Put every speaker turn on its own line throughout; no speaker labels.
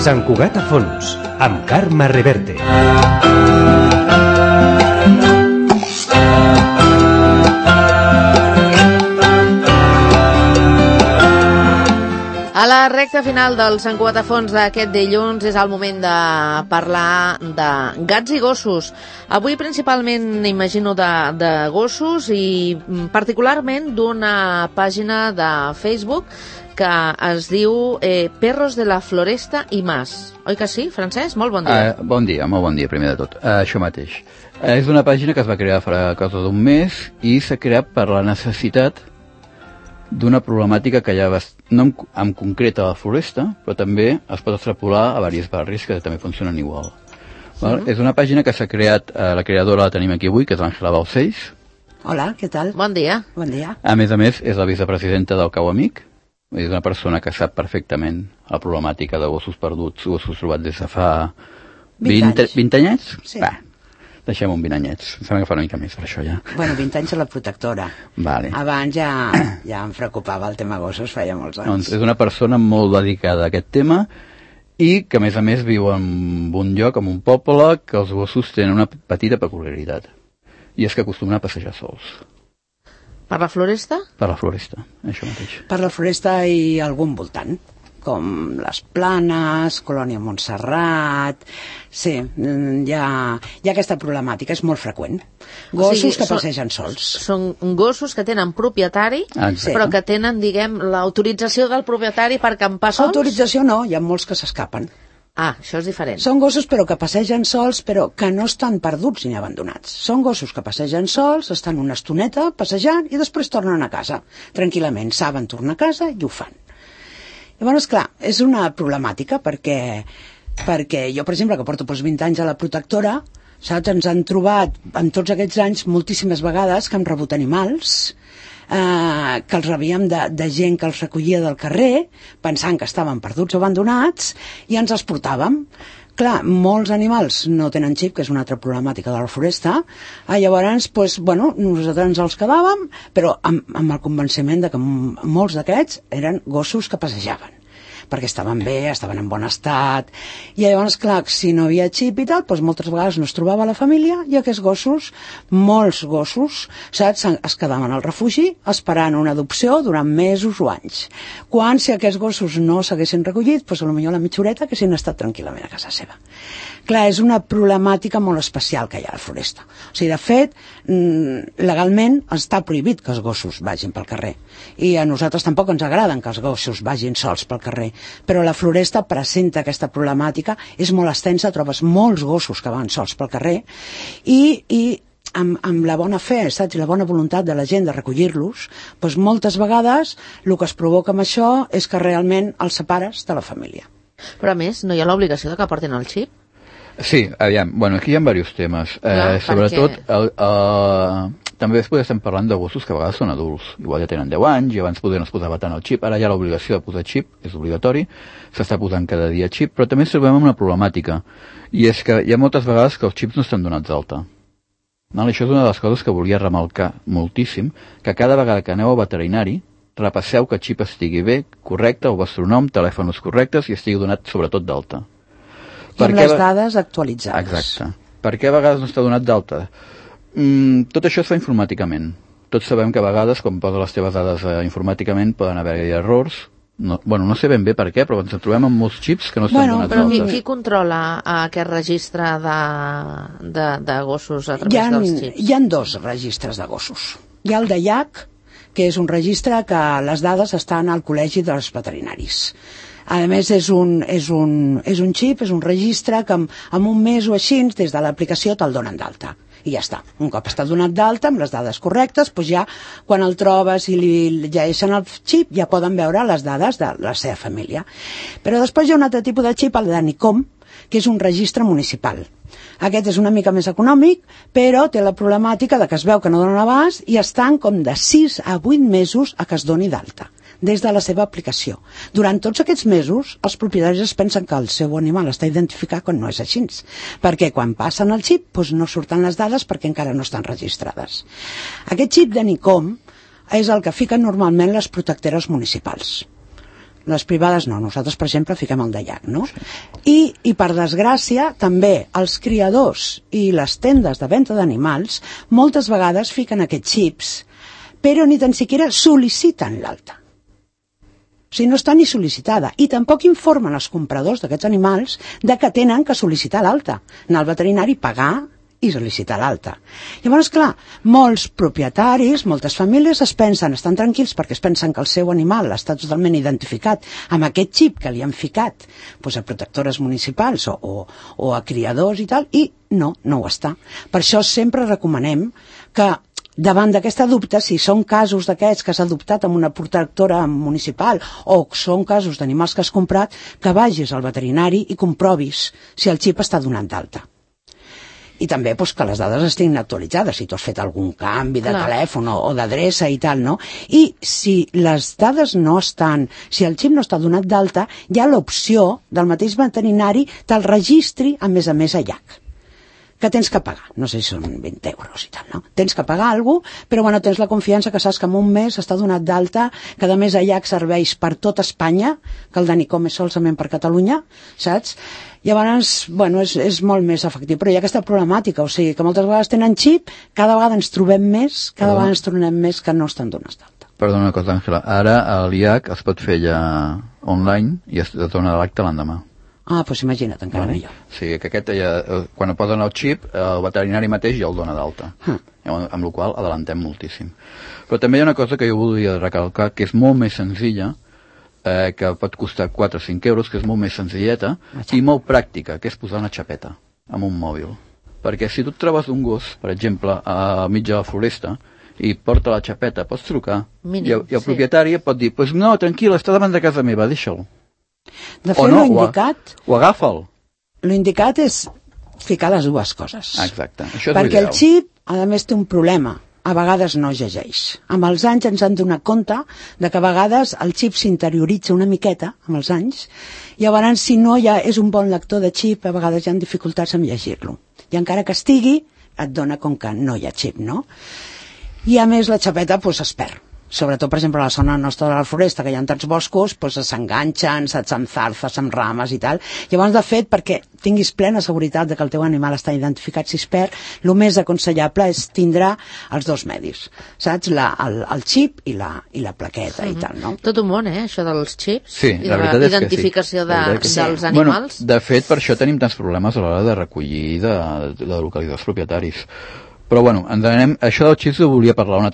Sant Cugat a fons, amb Carme Reverte.
A la recta final del Sant Cugat a fons d'aquest dilluns és el moment de parlar de gats i gossos. Avui principalment imagino de gossos i particularment d'una pàgina de Facebook que es diu Perros de la Floresta i Más. Oi que sí, Francesc? Molt bon dia.
Molt bon dia, primer de tot. Això mateix. És una pàgina que es va crear fa cosa d'un mes i s'ha creat per la necessitat d'una problemàtica que hi ha no en concret a la Floresta, però també es pot extrapolar a diversos barris que també funcionen igual. És una pàgina que s'ha creat, la creadora la tenim aquí avui, que és l'Àngela Balcells.
Hola, què tal?
Bon dia.
Bon dia.
A més, és la vicepresidenta del Cau Amic, és una persona que sap perfectament la problemàtica de gossos perduts, gossos trobats des de fa 20 anyets?
Sí.
Va, deixem un 20 anyets. Em sembla que fa una mica més per això, ja.
Bueno, 20 anys a la protectora.
Vale.
Abans ja em preocupava el tema gossos, feia molts anys.
Doncs és una persona molt dedicada a aquest tema i que, a més, viu en un lloc, en un poble, que els gossos tenen una petita peculiaritat. I és que acostumen a passejar sols.
Per la Floresta? Per
la Floresta, això mateix.
Per la Floresta i algun voltant, com les Planes, Colònia Montserrat. Sí, hi ha aquesta problemàtica, és molt freqüent. Gossos que passegen sols.
Són gossos que tenen propietari, però que tenen, diguem, l'autorització del propietari per campar sols?
Autorització no, hi ha molts que s'escapen.
Ah, això és diferent.
Són gossos però que passegen sols, però que no estan perduts ni abandonats. Són gossos que passegen sols, estan una estoneta passejant i després tornen a casa. Tranquil·lament, saben tornar a casa i ho fan. Llavors, clar, és una problemàtica perquè jo, per exemple, que porto 20 anys a la protectora, saps, ens han trobat en tots aquests anys moltíssimes vegades que hem rebut animals, que els rebíem de gent que els recollia del carrer, pensant que estaven perduts o abandonats, i ens els portàvem. Clar, molts animals no tenen xip, que és una altra problemàtica de la Floresta, llavors, nosaltres ens els quedàvem, però amb el convenciment de que molts d'aquests eren gossos que passejaven, perquè estaven bé, estaven en bon estat, i llavors, clar, si no havia xip i tal, doncs moltes vegades no es trobava la família, i aquests gossos, molts gossos, saps, es quedaven al refugi esperant una adopció durant mesos o anys. Quan, si aquests gossos no s'haguessin recollit, doncs potser la mitja horeta haguessin estat tranquil·lament a casa seva. Clar, és una problemàtica molt especial que hi ha a la Floresta. O sigui, de fet, legalment està prohibit que els gossos vagin pel carrer. I a nosaltres tampoc ens agraden que els gossos vagin sols pel carrer. Però la Floresta presenta aquesta problemàtica, és molt extensa, trobes molts gossos que van sols pel carrer i amb la bona fe, saps, i la bona voluntat de la gent de recollir-los, doncs moltes vegades el que es provoca amb això és que realment els separes de la família.
Però a més, no hi ha l'obligació de que portin el xip?
Sí, aviam, aquí hi ha diversos temes. Sobretot, també després estem parlant de gossos que a vegades són adults. Igual ja tenen 10 anys i abans es posava tant el xip. Ara hi ha l'obligació de posar xip, és obligatori, s'està posant cada dia xip, però també ens trobem amb una problemàtica. I és que hi ha moltes vegades que els xips no estan donats d'alta. Això és una de les coses que volia remarcar moltíssim, que cada vegada que aneu al veterinari, repasseu que el xip estigui bé, correcte, el vostre nom, telèfons correctes i estigui donat sobretot d'alta.
I amb les dades actualitzades.
Exacte. Per què a vegades no està donat d'alta? Tot això es fa informàticament. Tots sabem que a vegades, quan posa les teves dades informàticament, poden haver-hi errors. No sé ben bé per què, però ens trobem amb molts xips que no estan donats d'alta.
Però qui controla aquest registre de gossos a través dels xips?
Hi ha 2 registres de gossos. Hi ha el de IAC, que és un registre que les dades estan al Col·legi dels Veterinaris. A més, és un xip, és un registre que en un mes o així, des de l'aplicació te'l donen d'alta. I ja està. Un cop està donat d'alta, amb les dades correctes, doncs ja, quan el trobes i li llegeixen el xip, ja poden veure les dades de la seva família. Però després hi ha un altre tipus de xip, el de NICOM, que és un registre municipal. Aquest és una mica més econòmic, però té la problemàtica de que es veu que no donen abast i estan com de 6 a 8 mesos a que es doni d'alta, des de la seva aplicació. Durant tots aquests mesos, els propietaris es pensen que el seu animal està identificat quan no és així, perquè quan passen el xip doncs no surten les dades perquè encara no estan registrades. Aquest xip de NICOM és el que fiquen normalment les protectores municipals. les privades no, nosaltres, per exemple, fiquem el de llac, no? I per desgràcia, també els criadors i les tendes de venda d'animals moltes vegades fiquen aquests xips, però ni tan siquiera sol·liciten l'alta. O sigui, no està ni sol·licitada. I tampoc informen els compradors d'aquests animals de que tenen que sol·licitar l'alta. Anar al veterinari, pagar i sol·licitar l'alta. Llavors, clar, molts propietaris, moltes famílies estan tranquils perquè es pensen que el seu animal està totalment identificat amb aquest xip que li han ficat doncs, a protectores municipals o a criadors i tal, i no ho està. Per això sempre recomanem que davant d'aquesta dubte, si són casos d'aquests que has adoptat amb una protectora municipal o són casos d'animals que has comprat, que vagis al veterinari i comprovis si el xip està donat d'alta. I també doncs, que les dades estiguin actualitzades, si tu has fet algun canvi de telèfon o d'adreça i tal, no? I si les dades no estan, si el xip no està donat d'alta, hi ha l'opció del mateix veterinari te'l registri a més a llac, que tens que pagar, no sé si són 20 euros i tal, no? Tens que pagar alguna cosa, però bueno, tens la confiança que saps que en un mes està donat d'alta, que a més a llac serveix per tot Espanya, que el d'Anicom és solament per Catalunya, saps? Llavors, bueno, és molt més efectiu, però hi ha aquesta problemàtica, o sigui, que moltes vegades tenen xip, cada vegada ens trobem més, que no estan donats d'alta.
Perdona una cosa, Àngela, ara l'IAC es pot fer ja online i es dona l'acte l'endemà.
Ah, doncs imagina't, encara millor.
Sí, que aquest quan posen el xip, el veterinari mateix ja el dona d'alta, amb la qual adellantem moltíssim. Però també hi ha una cosa que jo volia recalcar, que és molt més senzilla, que pot costar 4 o 5 euros, que és molt més senzilleta i molt pràctica, que és posar una xapeta amb un mòbil. Perquè si tu et trobes un gos, per exemple, a mig de la floresta, i porta la xapeta, pots trucar, i el propietari pot dir, pues no, tranquil, està davant de casa meva, deixa'l.
De fet, l'indicat...
O agafa'l.
L'indicat és ficar les dues coses.
Exacte, això és
perquè
l'ideal.
el xip, a més, té un problema. A vegades no llegeix. Amb els anys ens han donat compte de que a vegades el xip s'interioritza una miqueta, amb els anys, i llavors si no és un bon lector de xip, a vegades hi ha dificultats en llegir-lo. I encara que estigui, et dona com que no hi ha xip, no? I a més la xapeta es perd. Sobretot, per exemple, a la zona nostra de la floresta, que hi ha tants boscos, s'enganxen, saps, amb zarzes, amb rames i tal. Llavors, de fet, perquè tinguis plena seguretat de que el teu animal està identificat si es perd, el més aconsellable és tindre els dos medis, saps? El xip i la plaqueta i tal, no?
Tot un món, això dels xips
sí,
i de la identificació dels animals.
Bueno, de fet, per això tenim tants problemes a l'hora de recollir de localitzar els propietaris. Però bueno, ens anem... Això del xips ho volia parlar un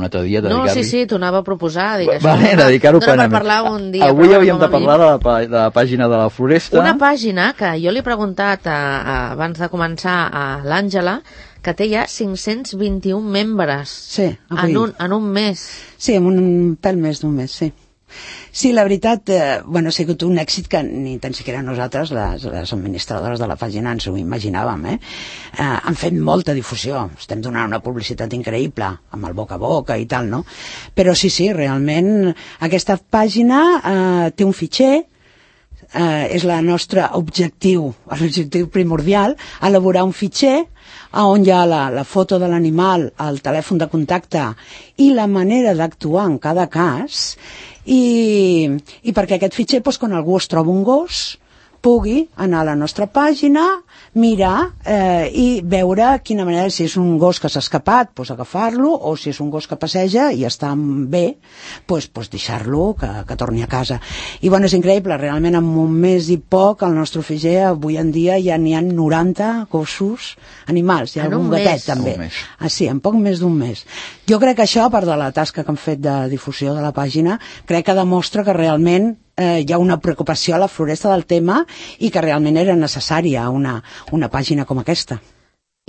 altre dia.
No, sí, t'ho anava a proposar.
Dedicar-ho
per parlar un dia.
Avui havíem de parlar de la pàgina de la floresta.
Una pàgina que jo li he preguntat abans de començar a l'Àngela, que té ja 521 membres.
Sí,
en un mes.
Sí, en un pèl més d'un mes, sí. Sí, la veritat, ha sigut un èxit que ni tan siquiera nosaltres, les administradores de la pàgina, ens ho imaginàvem, han fet molta difusió, estem donant una publicitat increïble, amb el boca a boca i tal, no? Però sí, realment, aquesta pàgina té un fitxer, és el nostre objectiu, l'objectiu primordial, elaborar un fitxer on hi ha la foto de l'animal, el telèfon de contacte i la manera d'actuar en cada cas, i perquè aquest fitxer, quan algú es troba un gos, pugui anar a la nostra pàgina, mirar i veure quina manera, si és un gos que s'ha escapat, agafar-lo, o si és un gos que passeja i està bé, deixar-lo que torni a casa. I és increïble, realment en un mes i poc el nostre fitxer avui en dia ja n'hi ha 90 gossos animals, hi ha algun gatet també. Sí, en poc més d'un mes. Jo crec que això, a part de la tasca que han fet de difusió de la pàgina, crec que demostra que realment hi ha una preocupació a la floresta del tema i que realment era necessària una pàgina com aquesta.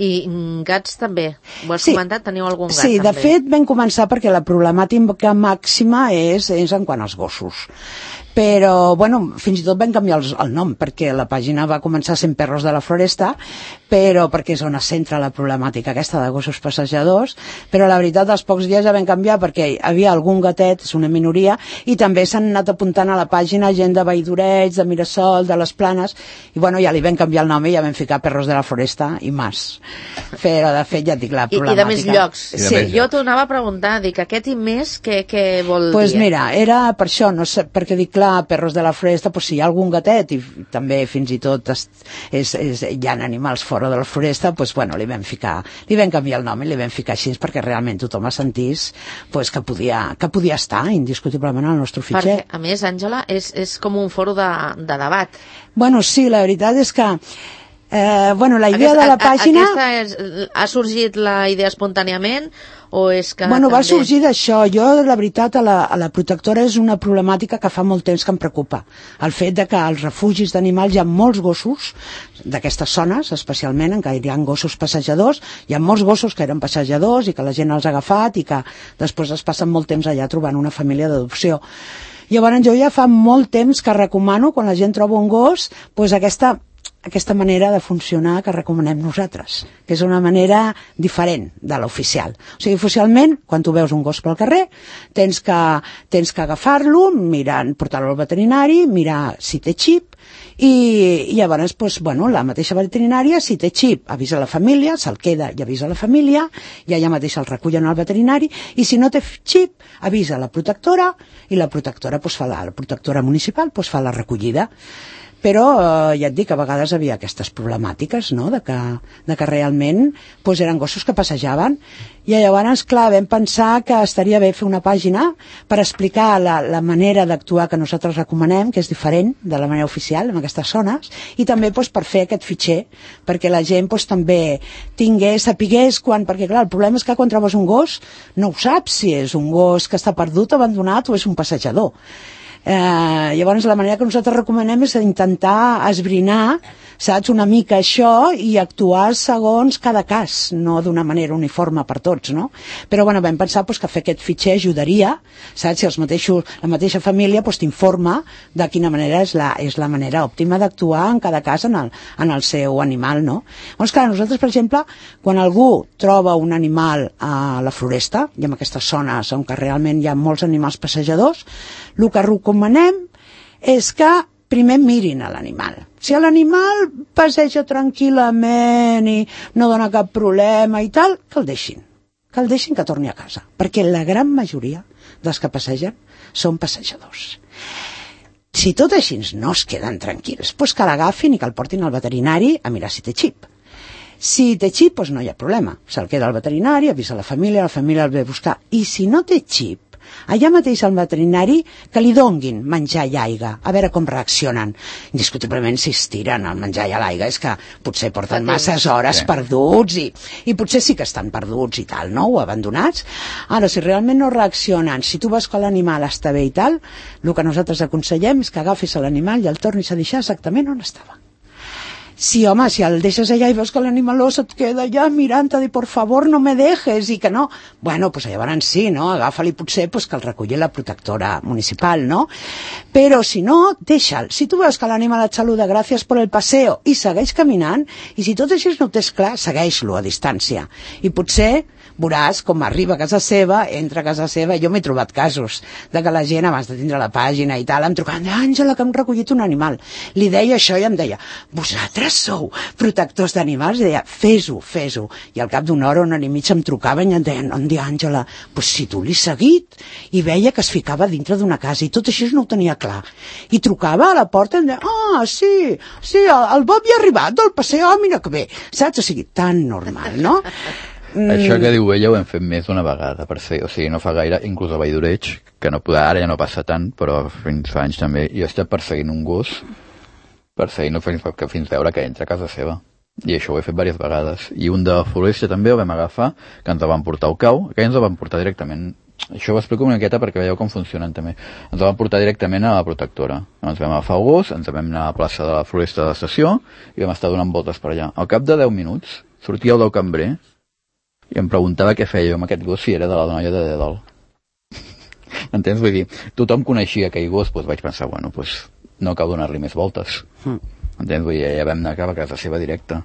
I gats també, ho has comentat, teniu algun gat
també? Sí, de
també.
fet vam començar perquè la problemàtica màxima és en quant als gossos. Però, fins i tot vam canviar el nom, perquè la pàgina va començar sent Perros de la Floresta, però perquè és on es centra la problemàtica aquesta de gossos passejadors, però la veritat, als pocs dies ja vam canviar perquè hi havia algun gatet, és una minoria, i també s'han anat apuntant a la pàgina gent de Valldoreig, de Mirasol, de les Planes, i ja li vam canviar el nom i ja vam ficar Perros de la Floresta i Mas. Però, de fet, ja et dic, la problemàtica...
I de més llocs. Sí, jo t'ho anava a preguntar, dic, aquest i més, què vol dir?
Doncs mira, era per això, no sé, perquè dic, clar, clar, Perros de la Floresta, doncs, si hi ha algun gatet, i també fins i tot hi ha animals fora de la floresta, doncs, bueno, li vam canviar el nom i li vam ficar així perquè realment tothom sentís pues, que podia estar indiscutiblement al nostre fitxer.
Perquè, a més, Àngela, és com un foro de debat.
Bueno, sí, la veritat és que la idea de la pàgina...
Ha sorgit la idea espontàniament o és que...
Bueno, va sorgir d'això. Jo, la veritat, a la protectora és una problemàtica que fa molt temps que em preocupa. El fet de que als refugis d'animals hi ha molts gossos, d'aquestes zones, especialment, en què hi ha gossos passejadors, hi ha molts gossos que eren passejadors i que la gent els ha agafat i que després es passen molt temps allà trobant una família d'adopció. Llavors, jo ja fa molt temps que recomano, quan la gent troba un gos, doncs aquesta manera de funcionar que recomanem nosaltres, que és una manera diferent de l'oficial. O sigui, oficialment, quan tu veus un gos pel carrer, tens que agafar-lo, portar-lo al veterinari, mirar si té xip, i llavors, la mateixa veterinària, si té xip, avisa la família, se'l queda i avisa la família, i allà mateix el recullen al veterinari, i si no té xip, avisa la protectora, i la protectora, la protectora municipal, fa la recollida. Però ja et dic, a vegades havia aquestes problemàtiques, no?, de que realment eren gossos que passejaven, i llavors, clar, vam pensar que estaria bé fer una pàgina per explicar la manera d'actuar que nosaltres recomanem, que és diferent de la manera oficial en aquestes zones, i també per fer aquest fitxer, perquè la gent també sapigués perquè clar, el problema és que quan trobes un gos no ho saps si és un gos que està perdut, abandonat o és un passejador. Llavors la manera que nosaltres recomanem és intentar esbrinar, saps, una mica això i actuar segons cada cas, no d'una manera uniforme per tots, no? Però bueno, vam pensar que fer aquest fitxer ajudaria, saps, si la mateixa família t'informa de quina manera és la manera òptima d'actuar en cada cas en el seu animal, no? Llavors, clar, nosaltres, per exemple, quan algú troba un animal a la floresta, i en aquestes zones on realment hi ha molts animals passejadors, el que recomanem és que primer mirin a l'animal. Si l'animal passeja tranquil·lament i no dona cap problema i tal, que el deixin que torni a casa, perquè la gran majoria dels que passegen són passejadors. Si tot així no es queden tranquils, doncs que l'agafin i que el portin al veterinari a mirar si té xip. Si té xip, doncs no hi ha problema. Se'l queda al veterinari, avisa la família el ve a buscar. I si no té xip, allà mateix al veterinari que li donguin menjar i aigua, a veure com reaccionen. Indiscutiblement, si es tiren el menjar i l'aigua és que potser porten masses hores perduts i potser sí que estan perduts i tal, no? O abandonats. Ara, si realment no reaccionen, si tu veus que l'animal està bé i tal, el que nosaltres aconsellem és que agafis l'animal i el tornis a deixar exactament on estava. Sí, home, si el deixes allà i veus que l'animaló se't queda allà mirant-te de por favor no me dejes i que no, bueno, pues llavors sí, no? Agafa-li potser que el reculli la protectora municipal, no? Però si no, deixa'l. Si tu veus que l'animal et saluda gràcies per el paseo i segueix caminant, i si tot això no ho tens clar, segueix-lo a distància. I potser veuràs com arriba a casa seva, entra a casa seva, jo m'he trobat casos de que la gent abans de tindre la pàgina i tal, em trucaven, Àngela, que hem recollit un animal. Li deia això i em deia, vosaltres sou protectors d'animals? I deia, fes-ho. I al cap d'una hora, una hora i mitja em trucaven i em deien, on dia, Àngela, pues si tu l'he seguit, i veia que es ficava dintre d'una casa i tot això no ho tenia clar. I trucava a la porta i em deia, sí, el Bob hi ha arribat del paseo, mira que bé. Saps? O sigui, tan normal, no?
Això que diu ella ho hem fet més d'una vegada, per fer, o sigui, no fa gaire, inclús a Valldoreig, que no poder, ara ja no passa tant, però fins fa anys també, jo he estat perseguint un gos, perseguint-lo fins veure que entra a casa seva. I això ho he fet diverses vegades. I un de Floresta també el vam agafar, que ens el van portar al cau, que ens el van portar directament. Això ho explico una miqueta perquè veieu com funcionen també. Ens el van portar directament a la protectora. Ens vam agafar el gos, ens vam anar a la plaça de la Floresta de l'estació i vam estar donant voltes per allà. Al cap de 10 minuts sortia el del cambrer i em preguntava què feia jo amb aquest gos si era de la noia de Dedal. Entens? Vull dir, tothom coneixia aquell gos, doncs vaig pensar, bueno, doncs no cal donar-li més voltes. Entens? Vull dir, ja vam anar cap a casa seva directa.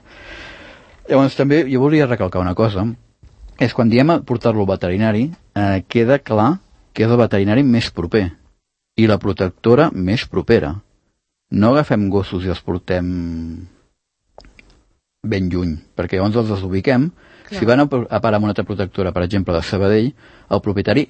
Llavors també jo volia recalcar una cosa, és quan diem portar-lo al veterinari, queda clar que és el veterinari més proper i la protectora més propera. No agafem gossos i els portem ben lluny, perquè llavors els desubiquem. Si van a parar amb una altra protectora, per exemple, de Sabadell, el propietari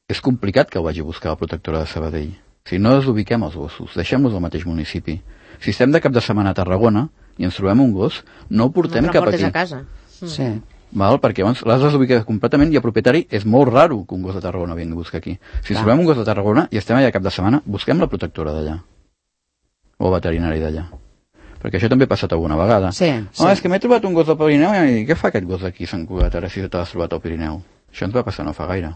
és complicat que el vagi a buscar la protectora de Sabadell. Si no desubiquem els gossos, deixem-los al mateix municipi. Si estem de cap de setmana a Tarragona i ens trobem un gos, no el portem cap aquí.
A casa.
Sí.
Val? Perquè abans l'has desubicat completament i el propietari és molt raro que un gos de Tarragona vingui a buscar aquí. Si ens trobem un gos de Tarragona i estem allà cap de setmana, busquem la protectora d'allà. O el veterinari d'allà. Perquè això també ha passat alguna vegada.
Sí.
És que m'he trobat un gos del Pirineu i què fa aquest gos aquí a Sant Cugat ara si t'has trobat al Pirineu? Això ens va passar no fa gaire.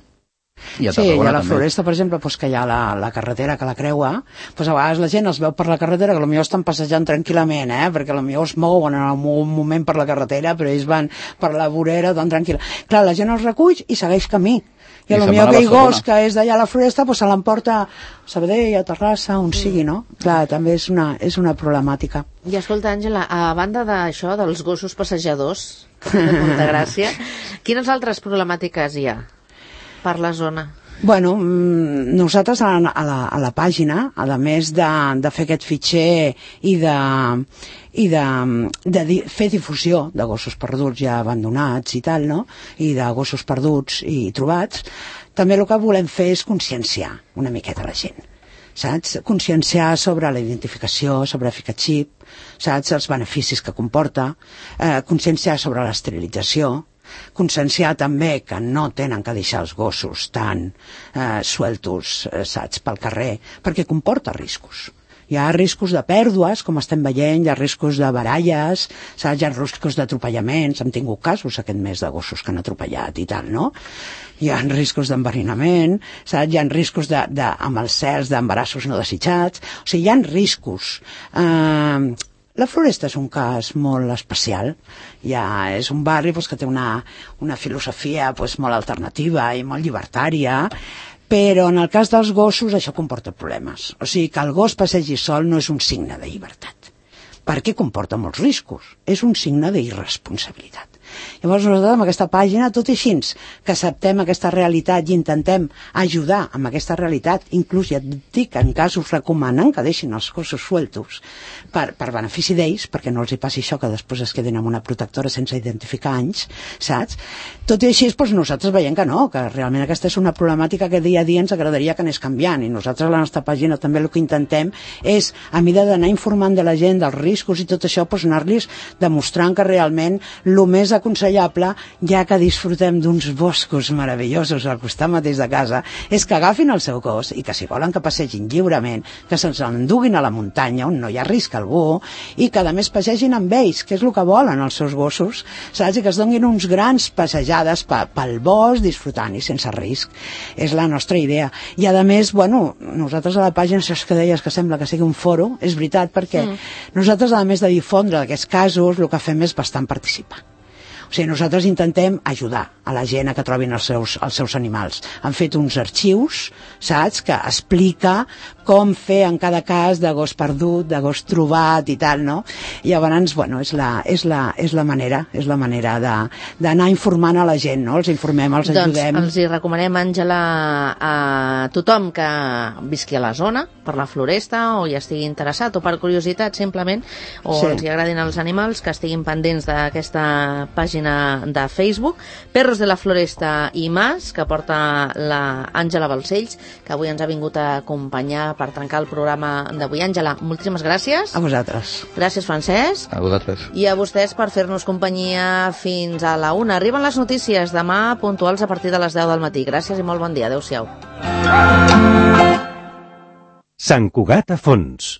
I a la Floresta, per exemple, que hi ha la carretera que la creua, a vegades la gent els veu per la carretera, que potser estan passejant tranquil·lament, perquè potser es mouen en un moment per la carretera, però ells van per la vorera tan tranquil·la. Clar, la gent els recull i segueix camí. I potser aquell gos que és d'allà a la Floresta se l'emporta a Sabadell, a Terrassa, on sigui, no? Clar, també és una problemàtica.
I escolta, Àngela, a banda d'això, dels gossos passejadors de Montegràcia, quines altres problemàtiques hi ha per la zona?
Bueno, nosaltres a la pàgina, a més de fer aquest fitxer i de fer difusió de gossos perduts ja abandonats i tal, no? I de gossos perduts i trobats, també el que volem fer és conscienciar una miqueta la gent. Saps? Conscienciar sobre la identificació, sobre Ficachip, saps? Els beneficis que comporta, conscienciar sobre l'esterilització, conscienciar també que no tenen que deixar els gossos tan sueltos, saps, pel carrer, perquè comporta riscos. Hi ha riscos de pèrdues, com estem veient, hi ha riscos de baralles, saps? Hi ha riscos d'atropellaments, hem tingut casos aquest mes de gossos que han atropellat i tal, no? Hi ha riscos d'enverinament, saps? Hi ha riscos amb els certs d'embarassos no desitjats, o sigui, hi ha riscos. La Floresta és un cas molt especial, és un barri que té una filosofia molt alternativa i molt llibertària, però en el cas dels gossos això comporta problemes. O sigui que el gos passegi sol no és un signe de llibertat, perquè comporta molts riscos, és un signe d'irresponsabilitat. Llavors nosaltres amb aquesta pàgina, tot i així que acceptem aquesta realitat i intentem ajudar amb aquesta realitat, inclús ja et dic que en casos recomanen que deixin els gossos sueltos per benefici d'ells, perquè no els hi passi això que després es quedin amb una protectora sense identificar anys, saps? Tot i així nosaltres veiem que no, que realment aquesta és una problemàtica que dia a dia ens agradaria que anés canviant, i nosaltres a la nostra pàgina també el que intentem és, a mesura d'anar informant de la gent dels riscos i tot això, anar-los demostrant que realment el més aconsellable, ja que disfrutem d'uns boscos meravellosos al costat mateix de casa, és que agafin el seu gos i que si volen que passegin lliurement, que se'ls enduguin a la muntanya on no hi ha risc algú, i que a més passegin amb ells, que és el que volen els seus gossos, saps? I que es donin uns grans passejades pel bosc disfrutant i sense risc. És la nostra idea. I a més, nosaltres a la pàgina, això que deies que sembla que sigui un foro, és veritat, perquè nosaltres a més de difondre aquests casos, el que fem és bastant participar. O sigui, nosaltres intentem ajudar a la gent a que trobin els seus animals. Han fet uns arxius, saps?, que explica com fer en cada cas de gos perdut, de gos trobat i tal, no? I llavors, és la manera d'anar informant a la gent, no? Els informem, els ajudem.
Doncs els hi recomanem, Àngela, a tothom que visqui a la zona, per la Floresta, o hi estigui interessat, o per curiositat, simplement, o els hi agradin els animals, que estiguin pendents d'aquesta pàgina de Facebook, Perros de la Floresta i Mas, que porta la Àngela Balcells, que avui ens ha vingut a acompanyar per trencar el programa d'avui. Àngela, moltíssimes gràcies.
A vosaltres.
Gràcies, Francesc.
A vosaltres.
I a vostès per fer-nos companyia fins a la 1. Arriben les notícies demà puntuals a partir de les 10 del matí. Gràcies i molt bon dia. Adéu-siau.
Sant Cugat a fons.